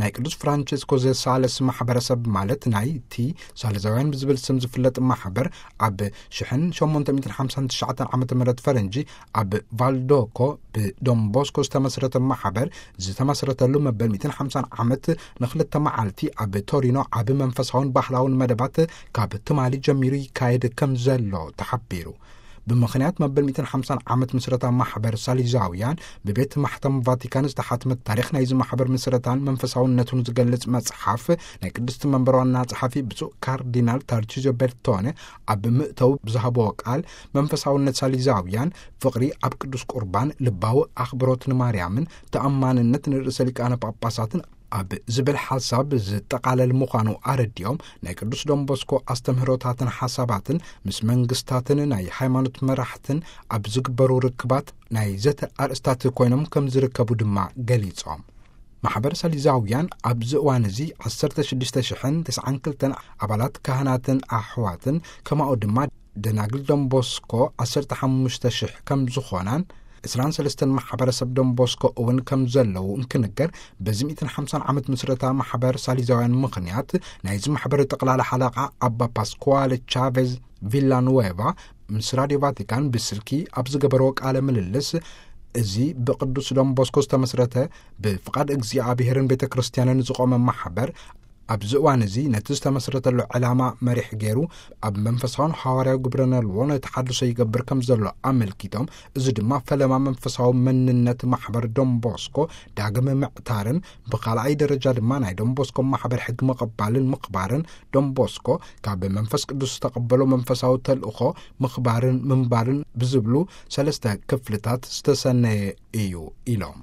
ናይ ቅዱስ ፍራንቸስኮ ዘሳለስ ማሕበረሰብ፣ ማለት ናይ ቲ ሳልዛውያን ብዝብል ስም ዝፍለጥ ማሕበር፣ ኣብ ሽሕን ሸሞንተ ሚእትን ሓምሳን ትሽዓተን ዓመተ ምህረት ፈረንጂ ኣብ ቫልዶኮ ብዶንቦስኮ ዝተመስረተ ማሕበር ዝተመስረተሉ መበል ሚእትን ሓምሳን ዓመት ንክልተ መዓልቲ ኣብ ቶሪኖ ዓቢ መንፈሳውን ባህላውን መደባት ካብ ትማሊ ጀሚሩ ይካየድ ከም ዘሎ ተሓቢሩ። ብምኽንያት መበል ሚእትን ሓምሳን ዓመት ምስረታ ማሕበር ሳሊዛውያን ብቤት ማሕተም ቫቲካን ዝተሓትመት ታሪኽ ናይዚ ማሕበር ምስረታን መንፈሳውነቱን ዝገልጽ መጽሓፍ ናይ ቅድስቲ መንበር ዋና ጸሓፊ ብፁዕ ካርዲናል ታርቺዞ ቤርቶነ ኣብ ምእተው ብዝሃብዎ ቃል፣ መንፈሳውነት ሳሊዛውያን ፍቕሪ ኣብ ቅዱስ ቁርባን፣ ልባዊ ኣኽብሮት ንማርያምን ተኣማንነት ንርእሰ ሊቃነ ጳጳሳትን ኣብ ዝብል ሓሳብ ዝጠቓለል ምዃኑ ኣረዲኦም፣ ናይ ቅዱስ ዶንቦስኮ ኣስተምህሮታትን ሓሳባትን ምስ መንግስታትን ናይ ሃይማኖት መራሕትን ኣብ ዝግበሩ ርክባት ናይ ዘተ ኣርእስታት ኮይኖም ከም ዝርከቡ ድማ ገሊጾም። ማሕበር ሳሊዛውያን ኣብዚ እዋን እዚ ዓሰርተ ሽዱሽተ ሽሕን ተስዓን ክልተን ኣባላት ካህናትን ኣሕዋትን፣ ከማኡ ድማ ደናግል ዶንቦስኮ ዓሰርተ ሓሙሽተ ሽሕ ከም ዝኾናን፣ ዕስራን ሰለስተን ማሕበረሰብ ዶንቦስኮ እውን ከም ዘለዉ እንክንገር፣ በዚ ሚእትን ሓምሳን ዓመት ምስረታ ማሕበር ሳሊዛውያን ምኽንያት ናይዚ ማሕበር ጠቕላላ ሓለቓ ኣባ ፓስኳለ ቻቬዝ ቪላኑዌቫ ምስ ራዲዮ ቫቲካን ብስልኪ ኣብ ዝገበርዎ ቃለ ምልልስ፣ እዚ ብቅዱስ ዶንቦስኮ ዝተመስረተ ብፍቓድ እግዚኣብሔርን ቤተ ክርስቲያንን ዝቖመ ማሕበር፣ ኣብዚ እዋን እዚ ነቲ ዝተመስረተሉ ዕላማ መሪሕ ገይሩ ኣብ መንፈሳውን ሃዋርያዊ ግብረ ነልዎ ነቲ ሓድሶ ይገብር ከም ዘሎ ኣመልኪቶም፣ እዚ ድማ ፈለማ መንፈሳዊ መንነት ማሕበር ዶንቦስኮ ዳግም ምዕታርን ብኻልኣይ ደረጃ ድማ ናይ ዶንቦስኮ ማሕበር ሕጊ ምቕባልን ምኽባርን፣ ዶንቦስኮ ካብ መንፈስ ቅዱስ ዝተቐበሎ መንፈሳዊ ተልእኾ ምኽባርን ምንባርን ብዝብሉ ሰለስተ ክፍልታት ዝተሰነየ እዩ ኢሎም።